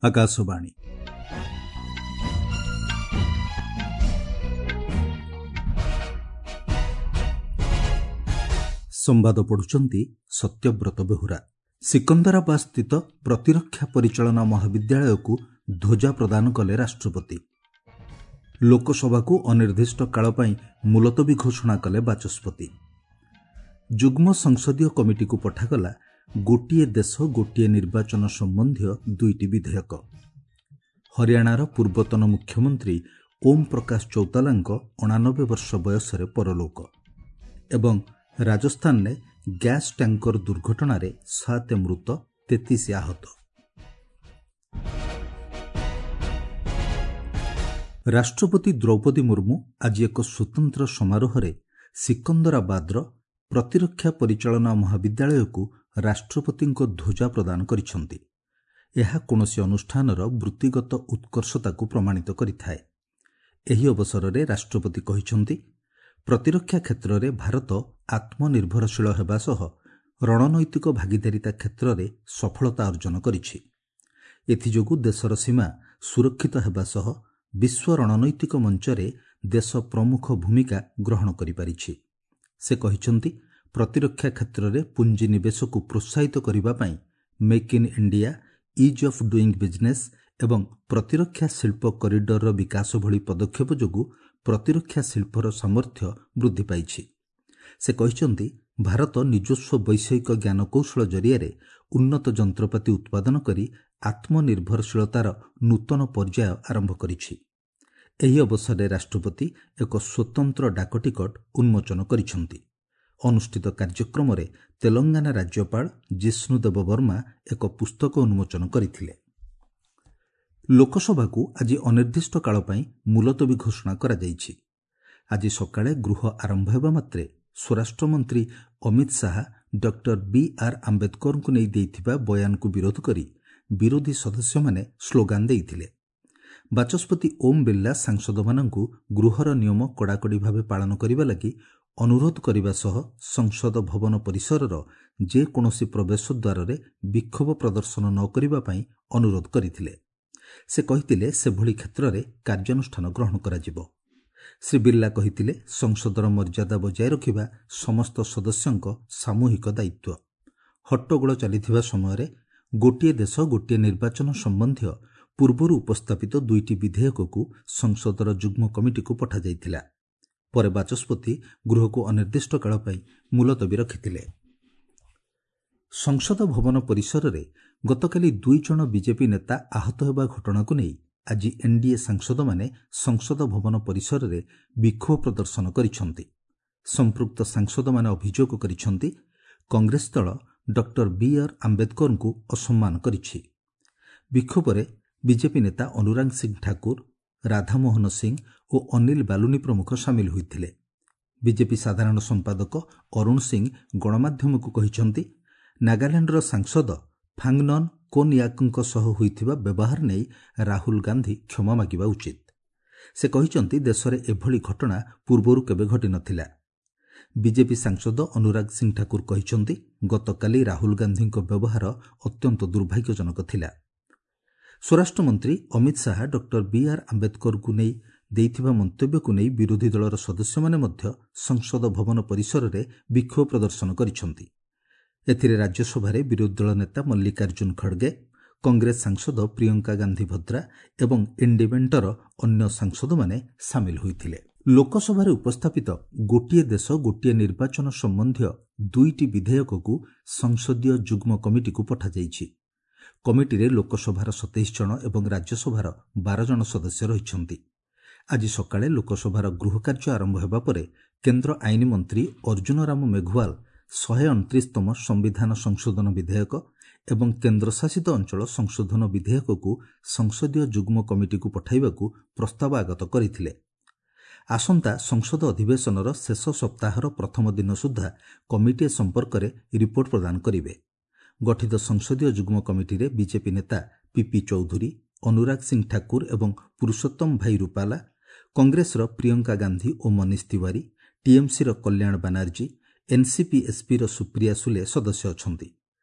ଆକାଶବାଣୀ। ସମ୍ବାଦ ପଢୁଛନ୍ତି ସତ୍ୟବ୍ରତ ବେହୁରା। ସିକନ୍ଦରାବାଦ ସ୍ଥିତ ପ୍ରତିରକ୍ଷା ପରିଚାଳନା ମହାବିଦ୍ୟାଳୟକୁ ଧ୍ୱଜା ପ୍ରଦାନ କଲେ ରାଷ୍ଟ୍ରପତି। ଲୋକସଭାକୁ ଅନିର୍ଦ୍ଦିଷ୍ଟ କାଳ ପାଇଁ ମୁଲତବୀ ଘୋଷଣା କଲେ ବାଚସ୍ପତି। ଯୁଗ୍ମ ସଂସଦୀୟ କମିଟିକୁ ପଠାଗଲା ଗୋଟିଏ ଦେଶ ଗୋଟିଏ ନିର୍ବାଚନ ସମ୍ବନ୍ଧୀୟ ଦୁଇଟି ବିଧେୟକ। ହରିୟାଣାର ପୂର୍ବତନ ମୁଖ୍ୟମନ୍ତ୍ରୀ ଓମ୍ ପ୍ରକାଶ ଚୌତାଲାଙ୍କ 89 ବର୍ଷ ବୟସରେ ପରଲୋକ। ଏବଂ ରାଜସ୍ଥାନରେ ଗ୍ୟାସ୍ ଟ୍ୟାଙ୍କର ଦୁର୍ଘଟଣାରେ 7 ମୃତ, 33 ଆହତ। ରାଷ୍ଟ୍ରପତି ଦ୍ରୌପଦୀ ମୁର୍ମୁ ଆଜି ଏକ ସ୍ୱତନ୍ତ୍ର ସମାରୋହରେ ସିକନ୍ଦରାବାଦର ପ୍ରତିରକ୍ଷା ପରିଚାଳନା ମହାବିଦ୍ୟାଳୟକୁ ରାଷ୍ଟ୍ରପତିଙ୍କ ଧ୍ୱଜା ପ୍ରଦାନ କରିଛନ୍ତି। ଏହା କୌଣସି ଅନୁଷ୍ଠାନର ବୃତ୍ତିଗତ ଉତ୍କର୍ଷତାକୁ ପ୍ରମାଣିତ କରିଥାଏ। ଏହି ଅବସରରେ ରାଷ୍ଟ୍ରପତି କହିଛନ୍ତି, ପ୍ରତିରକ୍ଷା କ୍ଷେତ୍ରରେ ଭାରତ ଆତ୍ମନିର୍ଭରଶୀଳ ହେବା ସହ ରଣନୈତିକ ଭାଗିଦାରିତା କ୍ଷେତ୍ରରେ ସଫଳତା ଅର୍ଜନ କରିଛି। ଏଥିଯୋଗୁଁ ଦେଶର ସୀମା ସୁରକ୍ଷିତ ହେବା ସହ ବିଶ୍ୱ ରଣନୈତିକ ମଞ୍ଚରେ ଦେଶ ପ୍ରମୁଖ ଭୂମିକା ଗ୍ରହଣ କରିପାରିଛି। ସେ କହିଛନ୍ତି, ପ୍ରତିରକ୍ଷା କ୍ଷେତ୍ରରେ ପୁଞ୍ଜିନିବେଶକୁ ପ୍ରୋତ୍ସାହିତ କରିବା ପାଇଁ make in India, ease of doing business ଏବଂ ପ୍ରତିରକ୍ଷା ଶିଳ୍ପ କରିଡରର ବିକାଶ ଭଳି ପଦକ୍ଷେପ ଯୋଗୁଁ ପ୍ରତିରକ୍ଷା ଶିଳ୍ପର ସାମର୍ଥ୍ୟ ବୃଦ୍ଧି ପାଇଛି। ସେ କହିଛନ୍ତି, ଭାରତ ନିଜସ୍ୱ ବୈଷୟିକ ଜ୍ଞାନକୌଶଳ ଜରିଆରେ ଉନ୍ନତ ଯନ୍ତ୍ରପାତି ଉତ୍ପାଦନ କରି ଆତ୍ମନିର୍ଭରଶୀଳତାର ନୂତନ ପର୍ଯ୍ୟାୟ ଆରମ୍ଭ କରିଛି। ଏହି ଅବସରରେ ରାଷ୍ଟ୍ରପତି ଏକ ସ୍ୱତନ୍ତ୍ର ଡାକଟିକଟ ଉନ୍ମୋଚନ କରିଛନ୍ତି। ଅନୁଷ୍ଠିତ କାର୍ଯ୍ୟକ୍ରମରେ ତେଲଙ୍ଗାନା ରାଜ୍ୟପାଳ ଜିଷ୍ଣୁଦେବ ବର୍ମା ଏକ ପୁସ୍ତକ ଉନ୍ମୋଚନ କରିଥିଲେ। ଲୋକସଭାକୁ ଆଜି ଅନିର୍ଦ୍ଦିଷ୍ଟ କାଳ ପାଇଁ ମୁଲତବୀ ଘୋଷଣା କରାଯାଇଛି। ଆଜି ସକାଳେ ଗୃହ ଆରମ୍ଭ ହେବା ମାତ୍ରେ ସ୍ୱରାଷ୍ଟ୍ରମନ୍ତ୍ରୀ ଅମିତ ଶାହା ଡକ୍ଟର ବି ଆର୍ ଆମ୍ବେଦକରଙ୍କୁ ନେଇ ଦେଇଥିବା ବୟାନକୁ ବିରୋଧ କରି ବିରୋଧୀ ସଦସ୍ୟମାନେ ସ୍ଲୋଗାନ ଦେଇଥିଲେ। ବାଚସ୍ପତି ଓମ୍ ବିର୍ଲା ସାଂସଦମାନଙ୍କୁ ଗୃହର ନିୟମ କଡ଼ାକଡ଼ି ଭାବେ ପାଳନ କରିବା ଲାଗି ଅନୁରୋଧ କରିବା ସହ ସଂସଦ ଭବନ ପରିସରର ଯେକୌଣସି ପ୍ରବେଶ ଦ୍ୱାରରେ ବିକ୍ଷୋଭ ପ୍ରଦର୍ଶନ ନ କରିବା ପାଇଁ ଅନୁରୋଧ କରିଥିଲେ। ସେ କହିଥିଲେ, ସେଭଳି କ୍ଷେତ୍ରରେ କାର୍ଯ୍ୟାନୁଷ୍ଠାନ ଗ୍ରହଣ କରାଯିବ। ଶ୍ରୀ ବିର୍ଲା କହିଥିଲେ, ସଂସଦର ମର୍ଯ୍ୟାଦା ବଜାୟ ରଖିବା ସମସ୍ତ ସଦସ୍ୟଙ୍କ ସାମୂହିକ ଦାୟିତ୍ୱ। ହଟ୍ଟଗୋଳ ଚାଲିଥିବା ସମୟରେ ଗୋଟିଏ ଦେଶ ଗୋଟିଏ ନିର୍ବାଚନ ସମ୍ବନ୍ଧୀୟ ପୂର୍ବରୁ ଉପସ୍ଥାପିତ ଦୁଇଟି ବିଧେୟକକୁ ସଂସଦର ଯୁଗ୍ମ କମିଟିକୁ ପଠାଯାଇଥିଲା। ପରେ ବାଚସ୍ପତି ଗୃହକୁ ଅନିର୍ଦ୍ଦିଷ୍ଟ କାଳ ପାଇଁ ମୁଲତବୀ ରଖିଥିଲେ। ସଂସଦ ଭବନ ପରିସରରେ ଗତକାଲି 2 ଜଣ ବିଜେପି ନେତା ଆହତ ହେବା ଘଟଣାକୁ ନେଇ ଆଜି ଏନ୍ଡିଏ ସାଂସଦମାନେ ସଂସଦ ଭବନ ପରିସରରେ ବିକ୍ଷୋଭ ପ୍ରଦର୍ଶନ କରିଛନ୍ତି। ସମ୍ପୃକ୍ତ ସାଂସଦମାନେ ଅଭିଯୋଗ କରିଛନ୍ତି, କଂଗ୍ରେସ ଦଳ ଡକ୍ଟର ବି ଆର୍ ଆମ୍ବେଦକରଙ୍କୁ ଅସମ୍ମାନ କରିଛି। ବିକ୍ଷୋଭରେ ବିଜେପି ନେତା ଅନୁରାଗ ସିଂ ଠାକୁର, ରାଧାମୋହନ ସିଂ ଓ ଅନିଲ ବାଲୁନି ପ୍ରମୁଖ ସାମିଲ ହୋଇଥିଲେ। ବିଜେପି ସାଧାରଣ ସମ୍ପାଦକ ଅରୁଣ ସିଂ ଗଣମାଧ୍ୟମକୁ କହିଛନ୍ତି, ନାଗାଲାଣ୍ଡର ସାଂସଦ ଫାଙ୍ଗନନ୍ କୋନ୍ୟାକ୍ଙ୍କ ସହ ହୋଇଥିବା ବ୍ୟବହାର ନେଇ ରାହୁଲ ଗାନ୍ଧୀ କ୍ଷମା ମାଗିବା ଉଚିତ। ସେ କହିଛନ୍ତି, ଦେଶରେ ଏଭଳି ଘଟଣା ପୂର୍ବରୁ କେବେ ଘଟିନଥିଲା। ବିଜେପି ସାଂସଦ ଅନୁରାଗ ସିଂ ଠାକୁର କହିଛନ୍ତି, ଗତକାଲି ରାହୁଲ ଗାନ୍ଧୀଙ୍କ ବ୍ୟବହାର ଅତ୍ୟନ୍ତ ଦୁର୍ଭାଗ୍ୟଜନକ ଥିଲା। ସ୍ୱରାଷ୍ଟ୍ରମନ୍ତ୍ରୀ ଅମିତ ଶାହା ଡକ୍ଟର ବି ଆର୍ ଆମ୍ବେଦକରଙ୍କୁ ନେଇ ଦେଇଥିବା ମନ୍ତବ୍ୟକୁ ନେଇ ବିରୋଧୀ ଦଳର ସଦସ୍ୟମାନେ ମଧ୍ୟ ସଂସଦ ଭବନ ପରିସରରେ ବିକ୍ଷୋଭ ପ୍ରଦର୍ଶନ କରିଛନ୍ତି। ଏଥିରେ ରାଜ୍ୟସଭାରେ ବିରୋଧୀ ଦଳ ନେତା ମଲ୍ଲିକାର୍ଜୁନ ଖଡ଼ଗେ, କଂଗ୍ରେସ ସାଂସଦ ପ୍ରିୟଙ୍କା ଗାନ୍ଧୀ ଭଦ୍ରା ଏବଂ ଇଣ୍ଡିମେଣ୍ଟର ଅନ୍ୟ ସାଂସଦମାନେ ସାମିଲ ହୋଇଥିଲେ। ଲୋକସଭାରେ ଉପସ୍ଥାପିତ ଗୋଟିଏ ଦେଶ ଗୋଟିଏ ନିର୍ବାଚନ ସମ୍ବନ୍ଧୀୟ ଦୁଇଟି ବିଧେୟକକୁ ସଂସଦୀୟ ଯୁଗ୍ମ କମିଟିକୁ ପଠାଯାଇଛି। କମିଟିରେ ଲୋକସଭାର 27 ଜଣ ଏବଂ ରାଜ୍ୟସଭାର 12 ଜଣ ସଦସ୍ୟ ରହିଛନ୍ତି। ଆଜି ସକାଳେ ଲୋକସଭାର ଗୃହ କାର୍ଯ୍ୟ ଆରମ୍ଭ ହେବା ପରେ କେନ୍ଦ୍ର ଆଇନ ମନ୍ତ୍ରୀ ଅର୍ଜୁନ ରାମ ମେଘୱାଲ 129ତମ ସମ୍ବିଧାନ ସଂଶୋଧନ ବିଧେୟକ ଏବଂ କେନ୍ଦ୍ରଶାସିତ ଅଞ୍ଚଳ ସଂଶୋଧନ ବିଧେୟକକୁ ସଂସଦୀୟ ଯୁଗ୍ମ କମିଟିକୁ ପଠାଇବାକୁ ପ୍ରସ୍ତାବ ଆଗତ କରିଥିଲେ। ଆସନ୍ତା ସଂସଦ ଅଧିବେଶନର ଶେଷ ସପ୍ତାହର ପ୍ରଥମ ଦିନ ସୁଦ୍ଧା କମିଟି ଏ ସମ୍ପର୍କରେ ରିପୋର୍ଟ ପ୍ରଦାନ କରିବେ। ଗଠିତ ସଂସଦୀୟ ଯୁଗ୍ମ କମିଟିରେ ବିଜେପି ନେତା ପିପି ଚୌଧୁରୀ, ଅନୁରାଗ ସିଂ ଠାକୁର ଏବଂ ପୁରୁଷୋତ୍ତମ ଭାଇ ରୁପାଲା, କଂଗ୍ରେସର ପ୍ରିୟଙ୍କା ଗାନ୍ଧୀ ଓ ମନୀଷ ତିୱାରୀ, ଟିଏମ୍ସିର କଲ୍ୟାଣ ବାନାର୍ଜୀ, ଏନ୍ସିପି ଏସ୍ପିର ସୁପ୍ରିୟା ସୁଲେ ସଦସ୍ୟ ଅଛନ୍ତି।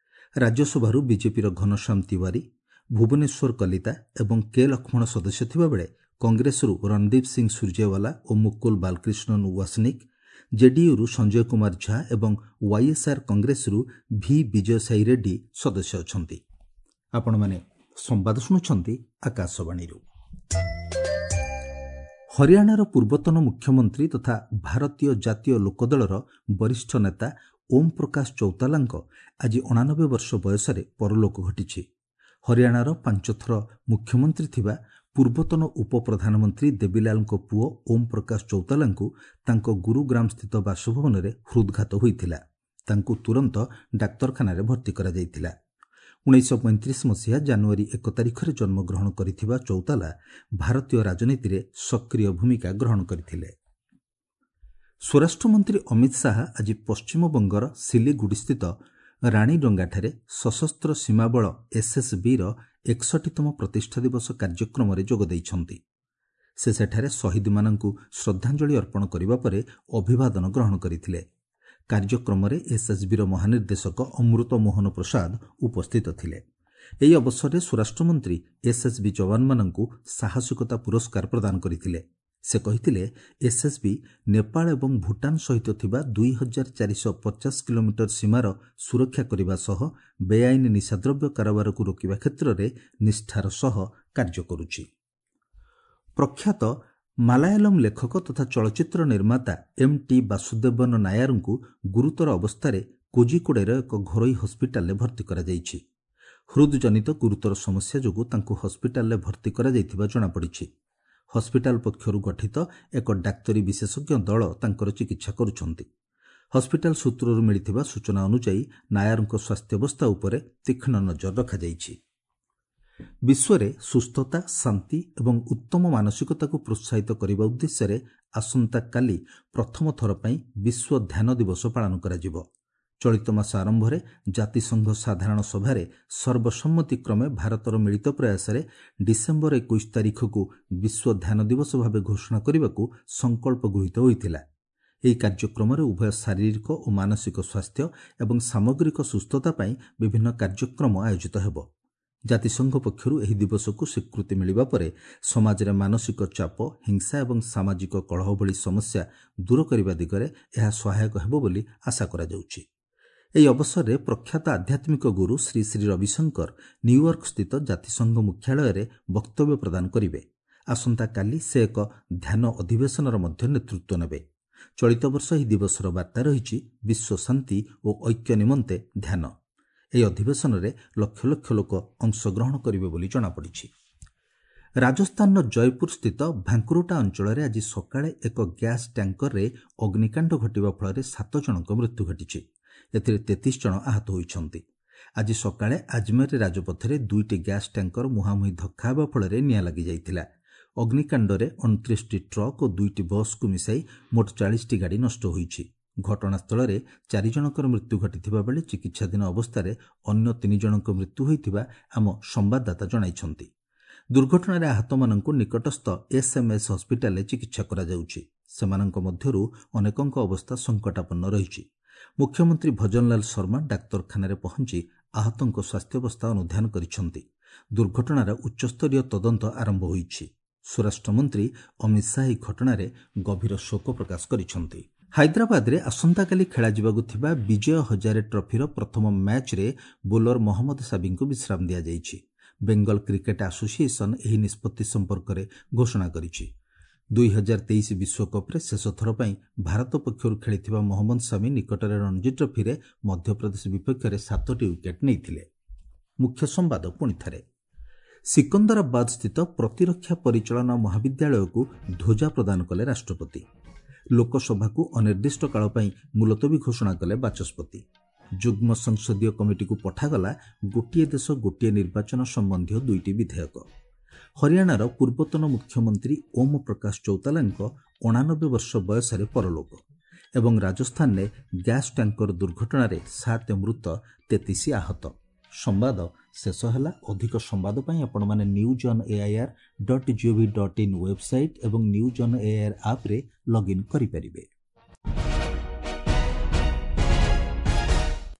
ରାଜ୍ୟସଭାରୁ ବିଜେପିର ଘନଶ୍ୟାମ ତିୱାରୀ, ଭୁବନେଶ୍ୱର କଲିତା ଏବଂ କେ ଲକ୍ଷ୍ମଣ ସଦସ୍ୟ ଥିବାବେଳେ କଂଗ୍ରେସରୁ ରଣଦୀପ ସିଂ ସୁରଜେୱାଲା ଓ ମୁକୁଲ ବାଲକ୍ରିଷ୍ଣନ ୱାସନିକ୍, ଜେଡିୟୁରୁ ସଞ୍ଜୟ କୁମାର ଝା ଏବଂ ୱାଇଏସ୍ଆର୍ କଂଗ୍ରେସରୁ ଭି ବିଜୟସାଇ ରେଡ୍ଡି ସଦସ୍ୟ ଅଛନ୍ତି। ଆପଣମାନେ ସମ୍ବାଦ ଶୁଣୁଛନ୍ତି ଆକାଶବାଣୀରୁ। ହରିୟାଣାର ପୂର୍ବତନ ମୁଖ୍ୟମନ୍ତ୍ରୀ ତଥା ଭାରତୀୟ ଜାତୀୟ ଲୋକଦଳର ବରିଷ୍ଠ ନେତା ଓମ୍ ପ୍ରକାଶ ଚୌତାଲାଙ୍କ ଆଜି 89 ବର୍ଷ ବୟସରେ ପରଲୋକ ଘଟିଛି। ହରିୟାଣାର 5 ଥର ମୁଖ୍ୟମନ୍ତ୍ରୀ ଥିବା ପୂର୍ବତନ ଉପପ୍ରଧାନମନ୍ତ୍ରୀ ଦେବୀଲାଲଙ୍କ ପୁଅ ଓମ୍ ପ୍ରକାଶ ଚୌତାଲାଙ୍କୁ ତାଙ୍କ ଗୁରୁଗ୍ରାମସ୍ଥିତ ବାସଭବନରେ ହୃଦ୍ଘାତ ହୋଇଥିଲା। ତାଙ୍କୁ ତୁରନ୍ତ ଡାକ୍ତରଖାନାରେ ଭର୍ତ୍ତି କରାଯାଇଥିଲା। 1935 ମସିହା ଜାନୁଆରୀ 1 ତାରିଖରେ ଜନ୍ମଗ୍ରହଣ କରିଥିବା ଚୌତାଲା ଭାରତୀୟ ରାଜନୀତିରେ ସକ୍ରିୟ ଭୂମିକା ଗ୍ରହଣ କରିଥିଲେ। ସ୍ୱରାଷ୍ଟ୍ରମନ୍ତ୍ରୀ ଅମିତ ଶାହା ଆଜି ପଶ୍ଚିମବଙ୍ଗର ସିଲିଗୁଡ଼ିସ୍ଥିତ ରାଣୀଡଙ୍ଗାଠାରେ ସଶସ୍ତ୍ର ସୀମାବଳ ଏସ୍ଏସ୍ବିର 61ତମ ପ୍ରତିଷ୍ଠା ଦିବସ କାର୍ଯ୍ୟକ୍ରମରେ ଯୋଗ ଦେଇଛନ୍ତି। ସେ ସେଠାରେ ଶହୀଦମାନଙ୍କୁ ଶ୍ରଦ୍ଧାଞ୍ଜଳି ଅର୍ପଣ କରିବା ପରେ ଅଭିବାଦନ ଗ୍ରହଣ କରିଥିଲେ। କାର୍ଯ୍ୟକ୍ରମରେ ଏସ୍ଏସ୍ବିର ମହାନିର୍ଦ୍ଦେଶକ ଅମୃତ ମୋହନ ପ୍ରସାଦ ଉପସ୍ଥିତ ଥିଲେ। ଏହି ଅବସରରେ ସ୍ୱରାଷ୍ଟ୍ରମନ୍ତ୍ରୀ ଏସ୍ଏସ୍ବି ଯବାନମାନଙ୍କୁ ସାହସିକତା ପୁରସ୍କାର ପ୍ରଦାନ କରିଥିଲେ। ସେ କହିଥିଲେ, ଏସ୍ଏସ୍ବି ନେପାଳ ଏବଂ ଭୁଟାନ ସହିତ ଥିବା 2450 କିଲୋମିଟର ସୀମାର ସୁରକ୍ଷା କରିବା ସହ ବେଆଇନ ନିଶାଦ୍ରବ୍ୟ କାରବାରକୁ ରୋକିବା କ୍ଷେତ୍ରରେ ନିଷ୍ଠାର ସହ କାର୍ଯ୍ୟ କରୁଛି। ପ୍ରଖ୍ୟାତ ମାଲାୟାଲମ ଲେଖକ ତଥା ଚଳଚ୍ଚିତ୍ର ନିର୍ମାତା ଏମ୍ ଟି ବାସୁଦେବନ ନାୟାରଙ୍କୁ ଗୁରୁତର ଅବସ୍ଥାରେ କୋଜିକୋଡ଼େର ଏକ ଘରୋଇ ହସ୍ପିଟାଲରେ ଭର୍ତ୍ତି କରାଯାଇଛି। ହୃଦଜନିତ ଗୁରୁତର ସମସ୍ୟା ଯୋଗୁଁ ତାଙ୍କୁ ହସ୍ପିଟାଲରେ ଭର୍ତ୍ତି କରାଯାଇଥିବା ଜଣାପଡ଼ିଛି। ହସ୍ପିଟାଲ ପକ୍ଷରୁ ଗଠିତ ଏକ ଡାକ୍ତରୀ ବିଶେଷଜ୍ଞ ଦଳ ତାଙ୍କର ଚିକିତ୍ସା କରୁଛନ୍ତି। ହସ୍ପିଟାଲ ସୂତ୍ରରୁ ମିଳିଥିବା ସୂଚନା ଅନୁଯାୟୀ ନାୟାରଙ୍କ ସ୍ୱାସ୍ଥ୍ୟାବସ୍ଥା ଉପରେ ତୀକ୍ଷ୍ଣ ନଜର ରଖାଯାଇଛି। ବିଶ୍ୱରେ ସୁସ୍ଥତା, ଶାନ୍ତି ଏବଂ ଉତ୍ତମ ମାନସିକତାକୁ ପ୍ରୋତ୍ସାହିତ କରିବା ଉଦ୍ଦେଶ୍ୟରେ ଆସନ୍ତାକାଲି ପ୍ରଥମ ଥର ପାଇଁ ବିଶ୍ୱ ଧ୍ୟାନ ଦିବସ ପାଳନ କରାଯିବ। ଚଳିତ ମାସ ଆରମ୍ଭରେ ଜାତିସଂଘ ସାଧାରଣ ସଭାରେ ସର୍ବସମ୍ମତିକ୍ରମେ ଭାରତର ମିଳିତ ପ୍ରୟାସରେ ଡିସେମ୍ବର 21 ତାରିଖକୁ ବିଶ୍ୱ ଧ୍ୟାନ ଦିବସ ଭାବେ ଘୋଷଣା କରିବାକୁ ସଂକଳ୍ପ ଗୃହୀତ ହୋଇଥିଲା। ଏହି କାର୍ଯ୍ୟକ୍ରମରେ ଉଭୟ ଶାରୀରିକ ଓ ମାନସିକ ସ୍ୱାସ୍ଥ୍ୟ ଏବଂ ସାମଗ୍ରିକ ସୁସ୍ଥତା ପାଇଁ ବିଭିନ୍ନ କାର୍ଯ୍ୟକ୍ରମ ଆୟୋଜିତ ହେବ। ଜାତିସଂଘ ପକ୍ଷରୁ ଏହି ଦିବସକୁ ସ୍ୱୀକୃତି ମିଳିବା ପରେ ସମାଜରେ ମାନସିକ ଚାପ, ହିଂସା ଏବଂ ସାମାଜିକ କଳହ ଭଳି ସମସ୍ୟା ଦୂର କରିବା ଦିଗରେ ଏହା ସହାୟକ ହେବ ବୋଲି ଆଶା କରାଯାଉଛି। ଏହି ଅବସରରେ ପ୍ରଖ୍ୟାତ ଆଧ୍ୟାତ୍ମିକ ଗୁରୁ ଶ୍ରୀ ଶ୍ରୀ ରବିଶଙ୍କର ନ୍ୟୁୟର୍କସ୍ଥିତ ଜାତିସଂଘ ମୁଖ୍ୟାଳୟରେ ବକ୍ତବ୍ୟ ପ୍ରଦାନ କରିବେ। ଆସନ୍ତାକାଲି ସେ ଏକ ଧ୍ୟାନ ଅଧିବେଶନର ମଧ୍ୟ ନେତୃତ୍ୱ ନେବେ। ଚଳିତ ବର୍ଷ ଏହି ଦିବସର ବାର୍ତ୍ତା ରହିଛି ବିଶ୍ୱ ଶାନ୍ତି ଓ ଐକ୍ୟ ନିମନ୍ତେ ଧ୍ୟାନ। ଏହି ଅଧିବେଶନରେ ଲକ୍ଷ ଲକ୍ଷ ଲୋକ ଅଂଶଗ୍ରହଣ କରିବେ ବୋଲି ଜଣାପଡ଼ିଛି। ରାଜସ୍ଥାନର ଜୟପୁର ସ୍ଥିତ ଭାଙ୍କୁରୋଟା ଅଞ୍ଚଳରେ ଆଜି ସକାଳେ ଏକ ଗ୍ୟାସ୍ ଟ୍ୟାଙ୍କରରେ ଅଗ୍ନିକାଣ୍ଡ ଘଟିବା ଫଳରେ 7 ଜଣଙ୍କ ମୃତ୍ୟୁ ଘଟିଛି। ଏଥିରେ 33 ଜଣ ଆହତ ହୋଇଛନ୍ତି। ଆଜି ସକାଳେ ଆଜମେର ରାଜପଥରେ 2ଟି ଗ୍ୟାସ୍ ଟ୍ୟାଙ୍କର ମୁହାଁମୁହିଁ ଧକ୍କା ହେବା ଫଳରେ ନିଆଁ ଲାଗିଯାଇଥିଲା। ଅଗ୍ନିକାଣ୍ଡରେ 29ଟି ଟ୍ରକ୍ ଓ 2ଟି ବସ୍କୁ ମିଶାଇ ମୋଟ 40ଟି ଗାଡ଼ି ନଷ୍ଟ ହୋଇଛି। ଘଟଣାସ୍ଥଳରେ 4 ଜଣଙ୍କର ମୃତ୍ୟୁ ଘଟିଥିବା ବେଳେ ଚିକିତ୍ସାଧୀନ ଅବସ୍ଥାରେ ଅନ୍ୟ 3 ଜଣଙ୍କ ମୃତ୍ୟୁ ହୋଇଥିବା ଆମ ସମ୍ବାଦଦାତା ଜଣାଇଛନ୍ତି। ଦୁର୍ଘଟଣାରେ ଆହତମାନଙ୍କୁ ନିକଟସ୍ଥ ଏସ୍ଏମ୍ଏସ୍ ହସ୍ପିଟାଲରେ ଚିକିତ୍ସା କରାଯାଉଛି। ସେମାନଙ୍କ ମଧ୍ୟରୁ ଅନେକଙ୍କ ଅବସ୍ଥା ସଙ୍କଟାପନ୍ନ ରହିଛି। ମୁଖ୍ୟମନ୍ତ୍ରୀ ଭଜନଲାଲ ଶର୍ମା ଡାକ୍ତରଖାନାରେ ପହଞ୍ଚି ଆହତଙ୍କ ସ୍ୱାସ୍ଥ୍ୟାବସ୍ଥା ଅନୁଧ୍ୟାନ କରିଛନ୍ତି। ଦୁର୍ଘଟଣାର ଉଚ୍ଚସ୍ତରୀୟ ତଦନ୍ତ ଆରମ୍ଭ ହୋଇଛି। ସ୍ୱରାଷ୍ଟ୍ରମନ୍ତ୍ରୀ ଅମିତ ଶାହା ଏହି ଘଟଣାରେ ଗଭୀର ଶୋକ ପ୍ରକାଶ କରିଛନ୍ତି। ହାଇଦ୍ରାବାଦରେ ଆସନ୍ତାକାଲି ଖେଳାଯିବାକୁ ଥିବା ବିଜୟ ହଜାରେ ଟ୍ରଫିର ପ୍ରଥମ ମ୍ୟାଚ୍ରେ ବୋଲର ମହମ୍ମଦ ସାବିଙ୍କୁ ବିଶ୍ରାମ ଦିଆଯାଇଛି। ବେଙ୍ଗଲ କ୍ରିକେଟ ଆସୋସିଏସନ ଏହି ନିଷ୍ପତ୍ତି ସମ୍ପର୍କରେ ଘୋଷଣା କରିଛି। 2023 ବିଶ୍ୱକପ୍ରେ ଶେଷଥର ପାଇଁ ଭାରତ ପକ୍ଷରୁ ଖେଳିଥିବା ମହମ୍ମଦ ସାମି ନିକଟରେ ରଣଜୀ ଟ୍ରଫିରେ ମଧ୍ୟପ୍ରଦେଶ ବିପକ୍ଷରେ 7ଟି ୱିକେଟ୍ ନେଇଥିଲେ। ମୁଖ୍ୟ ସମ୍ବାଦ ପୁଣିଥରେ। ସିକନ୍ଦରାବାଦ ସ୍ଥିତ ପ୍ରତିରକ୍ଷା ପରିଚାଳନା ମହାବିଦ୍ୟାଳୟକୁ ଧ୍ୱଜା ପ୍ରଦାନ କଲେ ରାଷ୍ଟ୍ରପତି। ଲୋକସଭାକୁ ଅନିର୍ଦ୍ଦିଷ୍ଟ କାଳ ପାଇଁ ମୁଲତବୀ ଘୋଷଣା କଲେ ବାଚସ୍ପତି। ଯୁଗ୍ମ ସଂସଦୀୟ କମିଟିକୁ ପଠାଗଲା ଗୋଟିଏ ଦେଶ ଗୋଟିଏ ନିର୍ବାଚନ ସମ୍ବନ୍ଧୀୟ 2ଟି ବିଧେୟକ। ହରିୟାଣାର ପୂର୍ବତନ ମୁଖ୍ୟମନ୍ତ୍ରୀ ଓମ୍ ପ୍ରକାଶ ଚୌତାଲାଙ୍କ 89 ବର୍ଷ ବୟସରେ ପରଲୋକ। ଏବଂ ରାଜସ୍ଥାନରେ ଗ୍ୟାସ୍ ଟ୍ୟାଙ୍କର ଦୁର୍ଘଟଣାରେ 7 ମୃତ, 33 ଆହତ। ସମ୍ବାଦ ଶେଷ ହେଲା। ଅଧିକ ସମ୍ବାଦ ପାଇଁ ଆପଣମାନେ news on AIR dot GOV dot in website ଏବଂ ନ୍ୟୁଜ୍ ଅନ୍ ଏଆଇଆର୍ ଆପ୍ରେ ଲଗ୍ଇନ୍ କରିପାରିବେ।